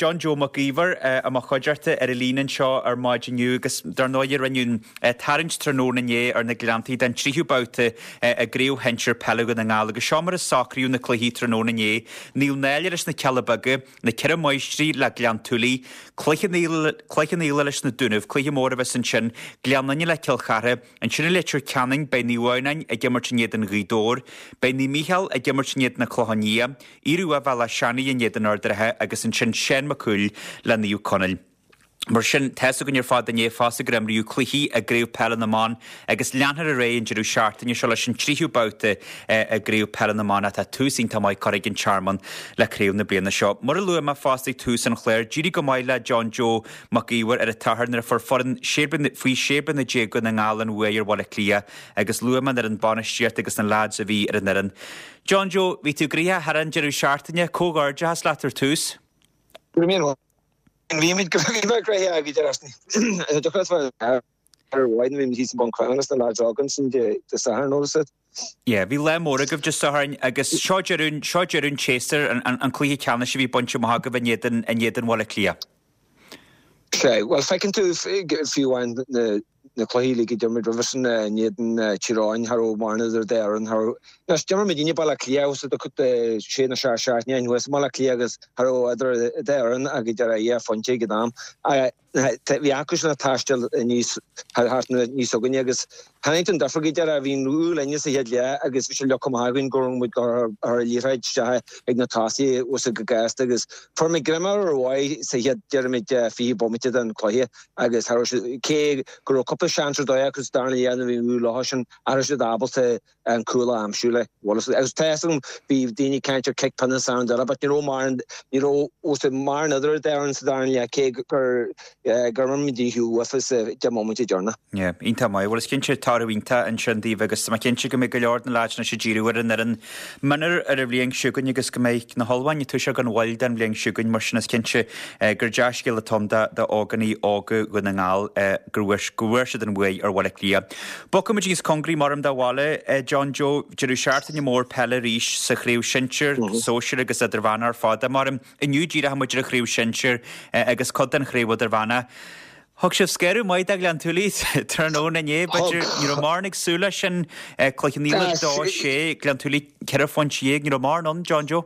John Joe Mac Íomhair i mo chuideachta ar an líne anseo ar maidin inniu agus dar ndóigh rinneadh an tarraingt tráthnóna inné ar na Gleanntaí don tríú babhta i gCraobh Shinsir Peile Dhún na nGall agus seo mar a socraíodh na cluichí tráthnóna inné, Naomh Náille leis na Cealla Beaga, Na Ceithre Máistrí le Gleann tSúilí, Cloich Cheann Fhaola leis na Dúnaibh, cluiche mór a bheas ansin, Gleann Fhinne le Cill Chartha, Ansin i Leitir Ceanainn beidh Naomh Adhamhnáin ag imirt in éadan Ghaoth Dobhair, beidh Naomh Mícheál ag imirt in éadan na Clochán Liath, Ioruaidh Bhealach Seanaidh in éadan Ard an Rátha agus ansin Seán Mac Cumhaill le Naomh Conaill. Mar sin, tá's againn ar fad inné fosta gur imríodh cluichí i gCraobh Peile na mBan agus leanfar ar aghaidh an deireadh seachtaine seo leis an tríú babhta i gCraobh Peile na mBan ach tá tús iontach maith curtha ag an Tearmann le craobh na bliana seo. Mar a luaigh mé fosta ag tús an chláir, d'éirigh go maith le John Joe Mac Íomhair ar an tSatharn nuair a fuair foireann faoi 16 bliana Dhún na nGall an bhuaidh ar Bhaile Átha Cliath agus luaigh mé an fhoireann bainistíochta agus na leaids a bhí ar an fhoireann. John Joe, bhí tú gnoitheach thar an deireadh seachtaine, comhghairdeachas leat ar tús. Go raibh míle maith. Bhí muid go bhí mé gnoitheach ag deireadh seachtaine. Dúchas bheith ar mhaith bhí muid thíos i mBun Cranncha leis na lads óga ansin Dé Sathairn nó is. Yeah, bhí lá mór agaibh Dé Sathairn agus seo deireadh seo deireadh an tséasúir, an an cluiche ceannais a bhí bainte amach agaibh in éadan in éadan Bhaile Átha Cliath. Sea, bhuel feiceann tú fiú amháin na na cluichí uilig a d'imir muid roimhe sin in éadan Tír Eoghain, cha raibh mórán idir an dá fhoireann, cha raibh, anois d'imir muidinne Baile Átha Cliath thuas i sé nó seacht seachtaine ó shin thuas i mBaile Átha Cliath agus cha raibh idir an dá fhoireann ach idir dhá phointe ag an am. Bhí acu sin ag taisteal aníos thart aníos chugainne agus chonaic tú an difear go deireadh, bhí an bua linne sa chéad leath agus bhí sé leagtha amach againn go raibh muid ag cur an liathróid isteach ag na tosaithe thuas go gasta agus fuair muid greim ar mhaith sa chéad déarfaimid 20 bomaite den chluiche. Agus cha raibh siad, cé go raibh cúpla seans ar dóigh acu sa darna leath nuair a bhí an bua leo sin, cha raibh siad ábalta an cúl a aimsiú le. Bhuel, agus tá fhios agam, bhí daoine ag caint ar cic pionóis an deireadh, but ní raibh mórán, ní raibh os mórán idir an dá fhoireann sa darna leath, cé gur, gur imir muid dícheall uafa sa deich mbomaite deireanach. Yeah, iontach maith. Bhuel, is cinnte toradh iontach ansin daoibh agus tá mé cinnte go mbeidh go leor de na leaids anois ag díriú ar an fhoireann mionúir ar an bhliain seo chugainn agus go mbeidh na hullmhúcháin ag toiseacht gan mhoill don bhliain seo chugainn mar sin is cinnte gur dea-scéal atá ann d'ógánaigh óga Dhún na nGall go bhfuair siad an bhuaidh ar Bhaile Átha Cliath. Bogfaimid níos cóngaraí mar do bhaile, John Joe, deireadh seachtaine mór peile arís sa chraobh sinsir, sóisir agus idirmheánach ar fad. Mar inniu díreoidh muid ar an chraobh sinsir agus cuid den chraobh idirmheánach. Thug sibh scaradh maith do Ghleann tSúilí tráthnóna inné, b'fhéidir. Ní raibh mórán ag súil leis sin. Cloich Cheann Fhaola 2, 6, Gleann tSúilí 14 phointe. Ní raibh mórán ann, John Joe.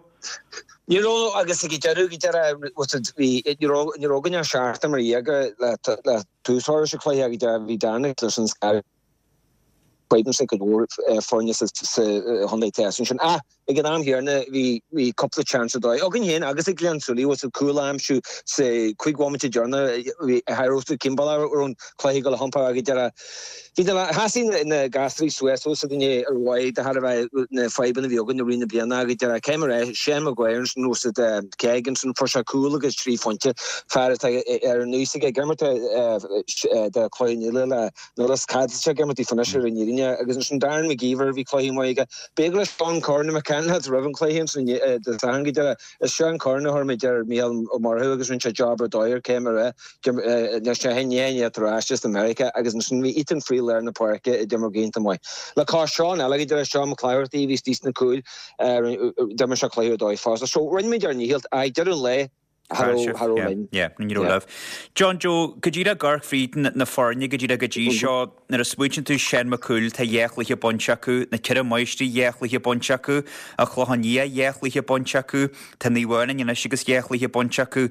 Ní raibh agus ag deireadh, ag deireadh, bhí, ní raibh, ní raibh againn ach seachtain mar dhea le, le tús a chur leis an chluiche ag deireadh, bhí Dan leis an scaradh. Cuimhnimse cuid mhór foirne sa chontae theas ansin. Ach ag an am chéanna bhí bhí cúpla seans ar dóigh againn féin agus ag Gleann tSúilí bhfuil siad cúl a aimsiú sa chúig bhomaite deireanach. Bhí cha raibh siad cén bealach a raibh an cluiche ag dul a iompar ag deireadh. Bhí na sheasaigh na gasraí suas os a gcoinne ar mhaith de thairbhe na fadhbanna a bhí againn i rith na bliana ag deireadh. Caithfidh mé a rá Shane Maguire ansin bhfuil siad cé ansin fuair sé cúl agus trí phointe fear atá ar an aois aige ag imirt do Chloich Cheann Fhaola le Nuair is cad tá ag imirt daofa anois ar an fhírinne agus ansin Darren McGeever bhí cluiche maith aige. B'fhéidir le Seán Curran McCann roimh an chluiche ansin Dé Sathairn go deireadh. Is Seán Curran a chuir muid ar Mícheál Ó Murchú agus rinne sé job ar dóigh ar cé mar é. Anois é inné tar ais as America agus ansin bhí Ethan Friel lár na páirce a d'imir go hiontach maith. Le cois Seán eile go deireadh Seán Mac Clártaigh a bhí istigh sna cúil d'imir sé cluiche ar dóigh fosta. So rinne muid ár ndícheall ach deireadh an lae Cha raibh, cha raibh linn. Yeah, ní raibh libh. John Joe, go díreach ag amharc fríd na foirne go díreach go dtí seo, nuair a smaointíonn tú Seán Mac Cumhaill, tá dhá chluiche bainte acu, na Ceithre Máistrí dhá chluiche bainte acu, An Clochán Liath dhá chluiche bainte acu, tá Naomh Adhamhnáin anois agus dhá chluiche bainte acu.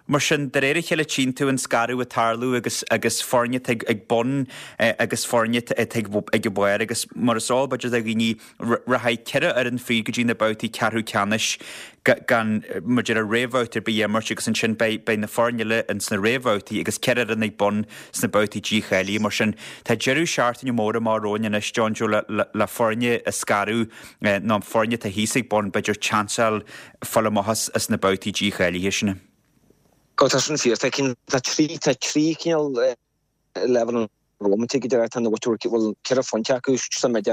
Mar sin, de réir a chéile tchíonn tú an scaradh ag tarlú agus agus foirne atá ag bun agus foirne atá ag ag an bharr agus mar is eol b'fhéidir do dhaoine, Rachaidh 4 fhoireann fríd go dtí na babhtaí ceathrú ceannais gan mar a déarfá réamhbhabhta ar bith a imirt agus ansin beidh beidh na foirne eile ins na réamhbhabhtaí agus 4 fhoireann ag bun sna babhtaí dícháilithe. Mar sin tá deireadh seachtaine mór amach romhainn anois, John Joe, le le le foirne a scaradh nó foirne atá thíos ag bun b'fhéidir seans a fháil fáil amach as as na babhtaí dícháilithe sin. Ó tá sin fíor. Tá tá trí tá trí cineál leibhéal an bhomaite go deireadh. Tá na bhuaiteoirí, bhfuil 4 phointe acu sa mbeidh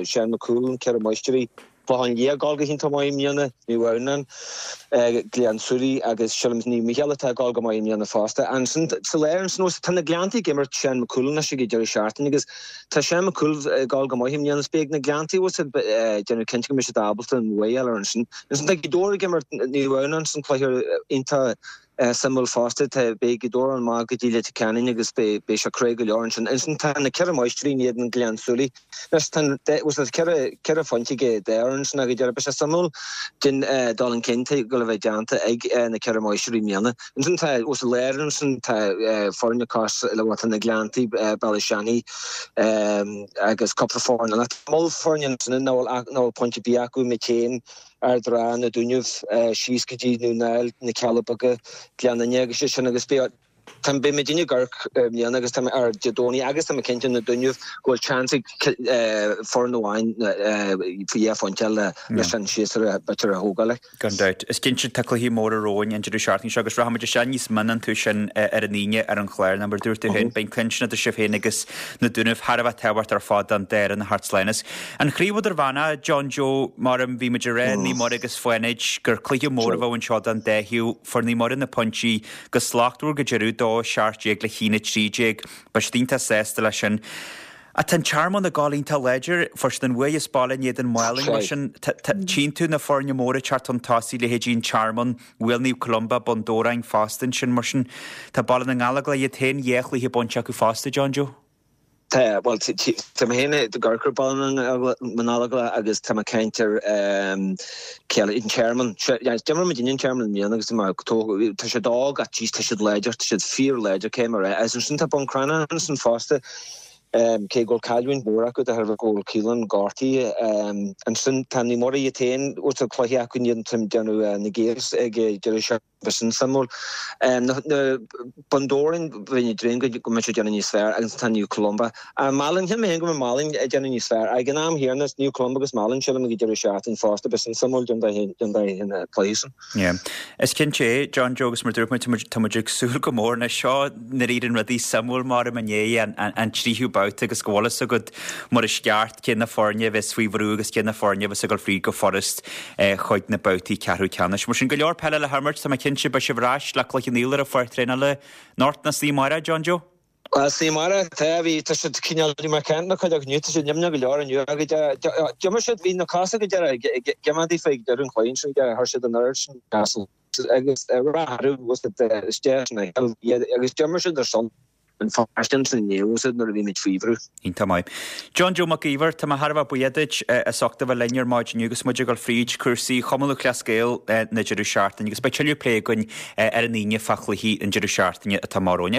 Seán Mac Cumhaill, 4 Máistrí, Clochán Liath ag gabháil go hiontach maith i mbliana, Naomh Adhamhnáin, Gleann tSúilí agus sílim Naomh Mícheál atá ag gabháil go maith i mbliana fosta. Ansin sa lár ansin os tá na Gleanntaí ag imirt Seán Mac Cumhaill anois ag an deireadh seachtaine agus tá Seán Mac Cumhaill ag gabháil go maith i mbliana. Is beidh na Gleanntaí os ag déanamh cinnte go mbeidh siad ábalta an bhuaidh a fháil ar ansin. Ansin tá Gaoth Dobhair ag imirt Naomh Adhamhnáin san cluiche iontach. Suimiúil fosta, tá, beidh Gaoth Dobhair amach go dtí Leitir Ceanainn agus beidh, beidh sé crua go leor ansin. Ansin tá na Ceithre Máistrí in éadan Gleann tSúilí. Anois tá an, bhuel tá ceithre, ceithre phointe ag an dá fhoireann sin ach go deireadh beidh sé suimiúil den dul chun cinn atá ag dul a bheith déanta ag na Ceithre Máistrí i mbliana. Ansin tá, bhuel sa lár ansin tá foirne cosúil le, bhuel tá na Gleanntaí, Bealach Seanaidh agus cúpla foireann eile. Tá moll foirne ansin nach bhfuil, nach bhfuil pointe ar bith acu, muid féin, Ard an Rátha, na Dúnaibh, síos go dtí Dún na nGall, na Cealla Beaga, Gleann Fhinne agus sé sin agus beidh tá beidh muidinne ag amharc i mbliana agus tá mé ar Dé Domhnaigh agus tá mé cinnte na Dúnaibh go bhfuil seans ag foireann amháin faoi dhá phointe le leis an séasúr a b'fhéidir a thógáil. Gan dabht. Is cinnte tá cluichí móra romhainn an deireadh seachtaine seo agus rachaimid isteach níos mine iontu sin ar an Aoine ar an chlár. Nó mar a dúirt tú féin, beidh an cluiche sin idir sibh féin agus na Dúnaibh thar a bheith tábhachtach ar fad don dá fhoireann a theacht slán as. An Chraobh Idirmheánach, John Joe, mar a bhí muid ag rá, Naomh Muire agus Fánaid, gur cluiche mór a bheadh anseo don dá thaobh. Fuair Naomh Muire na pointí go slachtmhar go deireadh, 2, 17 le 1, 13. Beidh siad iontach sásta leis sin. Ach tá an Tearmann ag gabháil iontach láidir. Fuair siad an bhuaidh as baile in éadan Málainn mar sin. Tchíonn tú na foirne móra ag teacht chun tosaigh, leithéidí an Tearmann, Bhuail Naomh Columba, Bun Dobhráin fosta ansin mar sin. Tá Baile na nGallóglach iad féin dhá chluiche bainte acu fosta, John Joe. Tá, bhuel, tá mé féin ag amharc ar Baile na nGallóglach agus tá mé ag caint ar cé eile, an Tearmann. D'imir muidinne an Tearmann i mbliana agus tá mé tá siad óg ach jeez tá siad láidir, tá siad fíorláidir cé mar é. Agus ansin tá Bun Cranncha ansin fosta, cé go bhfuil cailliúint mhór acu de thairbhe go bhfuil Keelan gortaithe. Ansin tá Naomh Muire iad féin, bhuel tá cluiche acu in éadan déanamh na Gaels ag deireadh seachtaine. Bheadh sin suimiúil. Na Bun Dobhráin, bheinn ag dréim go mbeidh siad ag déanamh níos fearr agus tá Naomh Columba. Málainn, shíl mé féin go mbeidh Málainn ag déanamh níos fearr. Ag an am chéanna, Naomh Columba agus Málainn, sílim ag an deireadh seachtaine fosta, beidh sin suimiúil don dá chluiche sin. Yeah. Is cinnte é, John Joe, agus mar dúirt muid, tá muid ag súil go mór anois. Seo nuair a éiríonn rudaí suimiúil mar i ndiaidh an tríú babhta agus go bhfuil fhios agat mar is ceart cé na foirne a bheas faoi bhrú agus cé na foirne a bheas ag dul fríd go furast chuig na babhtaí ceathrú ceannais. Mar sin, go leor peile le himirt, tá mé cinnte, beidh sibh ar ais le cluiche an tsaoil ar an pháirc traenála anocht nó san oíche amárach, John Joe? Bhuel, san oíche amárach, tá, bhí, tá siad cineál, bhí mé ag caint le cuid acu inniu, tá siad nimhneach go leor inniu agus d'imir siad, bhí na cosa go deireadh ag imeacht daofa ag deireadh an chluiche ansin, chuir siad an oiread sin agus rath orthu, isteach san agus d'imir siad ar son. an pháiste ansin inné bhfuil nuair a bhí muid faoi bhrú. Iontach maith. John Joe Mac Íomhair, tá mé thar a bheith buíoch duit as ucht a bheith linn ar maidin inniu agus muid ag dul fríd cúrsaí Chumann Lúthchleas Gael na deireadh seachtaine agus beidh tuilleadh plé againn ar an Aoine fá chluichí an deireadh seachtaine atá amach romhainn.